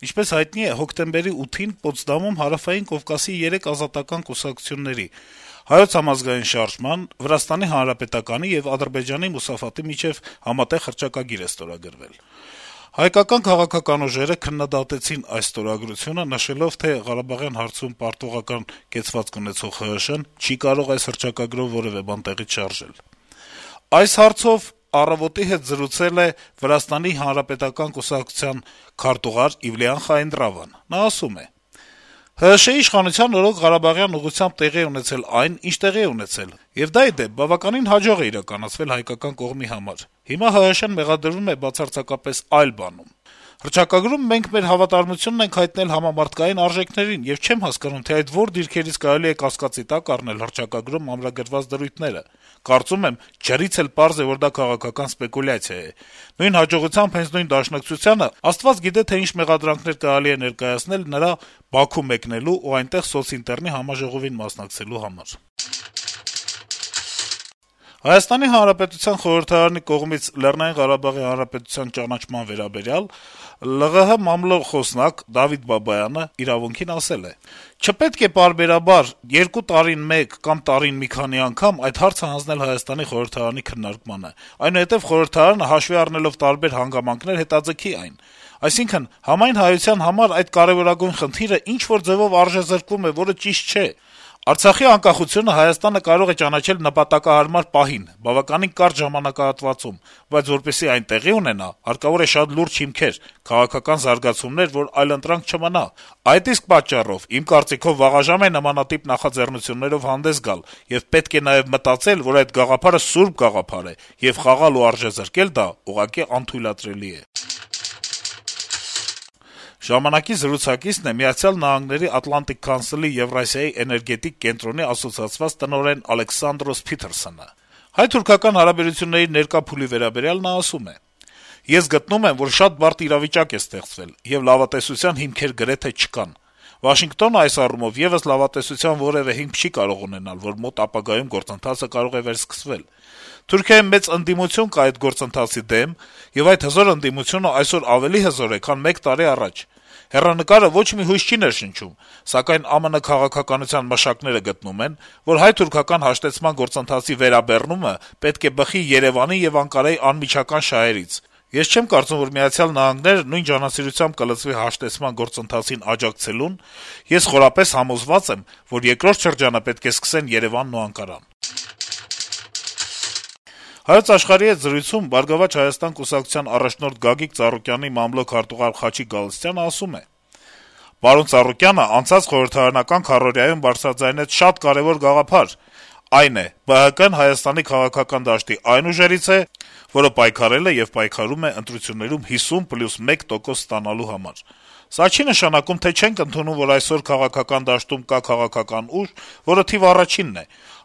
Ինչպես հայտնի է, հոկտեմբերի 8-ին Պոտսդամում Հարավային Կովկասի 3 ազատական կուսակցությունների՝ Հայոց համազգային շարժման, Վրաստանի Հանրապետականի եւ Ադրբեջանի Մուսաֆաթի միջեւ համատեղ հռչակագիր է ստորագրվել։ Հայկական քաղաքական ուժերը քննադատեցին այս ստորագրությունը, նշելով, թե Ղարաբաղյան հարցում պարտողական կեցվածք ունեցող ՀՀՇ-ն չի կարող այս հռչակագրով որեւէ բան տեղից շարժել։ Այս հարցով «Առավոտ»-ի հետ զրուցել է Վրաստանի Հանրապետական կուսակցության քարտուղար Իվլիան Խայնդրավան։ Նա ասում է. - «ՀՀՇ-ի իշխանության օրոք Ղարաբաղյան ուղղությամբ տեղի է ունեցել այն, ինչ տեղի է ունեցել, եւ դա, ի դեպ, բավականին հաջող է իրականացվել հայկական կողմի համար։ Հիմա ՀՀՇ-ն մեղադրվում է բացարձակապես այլ բանում։ Հռչակագրում մենք մեր հավատարմությունն ենք հայտնել համամարտկային արժեքներին եւ չեմ հասկանում, թե այդ որ դիրքերից կարելի է կասկածի տակ առնել հռչակագրում ամրագրված դրույթները։ Կարծում եմ, ջրից էլ պարզ է, որ դա քաղաքական սպեկուլյացիա է։ Նույն հաջողությամբ հենց նույն Դաշնակցությանը Աստված գիտե, թե ինչ մեղադրանքներ կարելի է ներկայացնել նրա Բաքու մեկնելու ու այնտեղ սոցինտերնի համաժողովին մասնակցելու համար»։ Հայաստանի Հանրապետության խորհրդարանի կողմից Լեռնային Ղարաբաղի Հանրապետության ճանաչման վերաբերյալ ԼՂՀ մամլո խոսնակ Դավիթ Բաբայանը «Իրավունք»-ին ասել է. - «Չպետք է պարբերաբար 2 տարին մեկ կամ տարին մի քանի անգամ այդ հարցը հանձնել Հայաստանի խորհրդարանի քննարկմանը, այնուհետեւ խորհրդարանը հաշվի առնելով տարբեր հանգամանքներ հետաձգի այն։ Այսինքն, համայն հայության համար այդ կարեւորագույն խնդիրը ինչ-որ ձեւով արժեզրկվում է, որը ճիշտ չէ։ Արցախի անկախությունը Հայաստանը կարող է ճանաչել նպատակահարմար պահին, բավականին կարճ ժամանակահատվածում, բայց որպեսզի այն տեղի ունենա, հարկավոր է շատ լուրջ հիմքեր, քաղաքական զարգացումներ, որ այլընտրանք չմնա։ Այդ իսկ պատճառով, իմ կարծիքով, վաղաժամ է նմանատիպ նախաձեռնություններով հանդես գալ, եւ պետք է նաեւ մտածել, որ այդ գաղափարը սուրբ գաղափար է, եւ խաղալ ու արժեզրկել դա ուղղակի անթույլատրելի է»։ «Ժամանակ»-ի զրուցակիցն է Միացյալ Նահանգների Atlantic Council-ի Եվրասիայի էներգետիկ կենտրոնի ասոցիացված տնօրեն Ալեքսանդրոս Փիթերսոնը։ Հայ-թուրքական հարաբերությունների ներկա փուլի վերաբերյալ նա ասում է. - «Ես գտնում եմ, որ շատ բարդ իրավիճակ է ստեղծվել, եւ լավատեսության հիմքեր գրեթե չկան։ Վաշինգտոնը այս առումով եւս լավատեսության որեւէ հիմք չի կարող ունենալ, որ մոտ ապագայում գործընթացը կարող է վերսկսվել։ Թուրքիայում մեծ ընդդիմություն կա այդ գործընթացի դեմ, եւ այդ հզոր ընդդիմությունը այսօր ավելի հզոր է, քան 1 տարի առաջ։ Հեռանկարը ոչ մի հույս չի ներշնչում, սակայն ԱՄՆ քաղաքականության մշակները գտնում են, որ հայ-թուրքական հաշտեցման գործընթացի վերաբեռնումը պետք է բխի Երեւանի եւ Անկարայի անմիջական շահերից։ Ես չեմ կարծում, որ Միացյալ Նահանգները նույն ջանասիրությամբ կլծվի հաշտեցման գործընթացին աջակցելուն։ Ես խորապես համոզված եմ, որ երկրորդ շրջանը պետք է սկսեն Երեւանն ու Անկարան»։ «Հայոց Աշխարհ»-ի հետ զրույցում «Բարգավաճ Հայաստան» կուսակցության առաջնորդ Գագիկ Ծառուկյանի մամլո քարտուղար Խաչիկ Գալստյանը ասում է. - «Պարոն Ծառուկյանը անցած խորհրդարանական քառօրյայում բարձրաձայնեց շատ կարեւոր գաղափար. այն է, ԲՀԿ-ն Հայաստանի քաղաքական դաշտի այն ուժերից է, որը պայքարել է եւ պայքարում է ընտրություններում 50+1% ստանալու համար։ Սա չի նշանակում, թե չենք ընդունում, որ այսօր քաղաքական դաշտում կա քաղաքական ուժ, որը թիվ առաջինն է։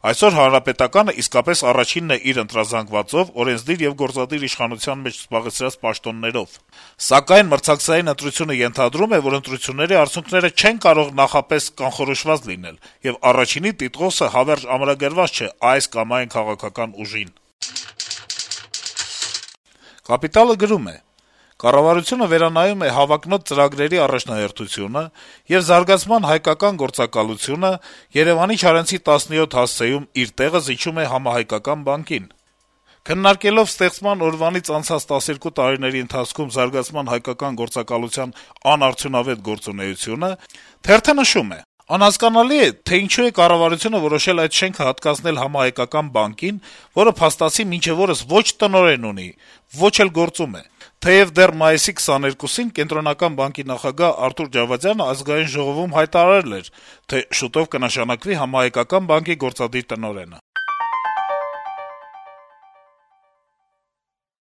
Այսօր Հանրապետականը իսկապես առաջինն է իր ընտրազանգվածով, օրենսդիր եւ գործադիր իշխանության մեջ զբաղեցրած պաշտոններով։ Սակայն մրցակցային ընտրությունը ենթադրում է, որ ընտրությունների արդյունքները չեն կարող նախապես կանխորոշված լինել, եւ առաջինի տիտղոսը հավերժ ամրագրված չէ այս կամ այն քաղաքական ուժին»։ «Կապիտալ»-ը գրում է. - «Կառավարությունը վերանայում է հավակնոտ ծրագրերի առաջնահերթությունը եւ զարգացման հայկական գործակալությունը Երեւանի Չարենցի 17 հասցեում իր տեղը զիջում է համահայկական բանկին։ Քննարկելով ստեղծման օրվանից անցած 12 տարիների ընթացքում զարգացման հայկական գործակալության անարդյունավետ գործունեությունը, թերթը նշում է. «Անհասկանալի է, թե ինչու է կառավարությունը որոշել այդ շենքը հատկացնել համահայկական բանկին, որը փաստացի մինչեւ օրս ոչ տնօրեն ունի, ոչ էլ գործում է։ Թեեւ դեռ մայիսի 22-ին Կենտրոնական բանկի նախագահ Արթուր Ջավադյանը Ազգային ժողովում հայտարարել էր, թե շուտով կնշանակվի համահայկական բանկի գործադիր տնօրենը»։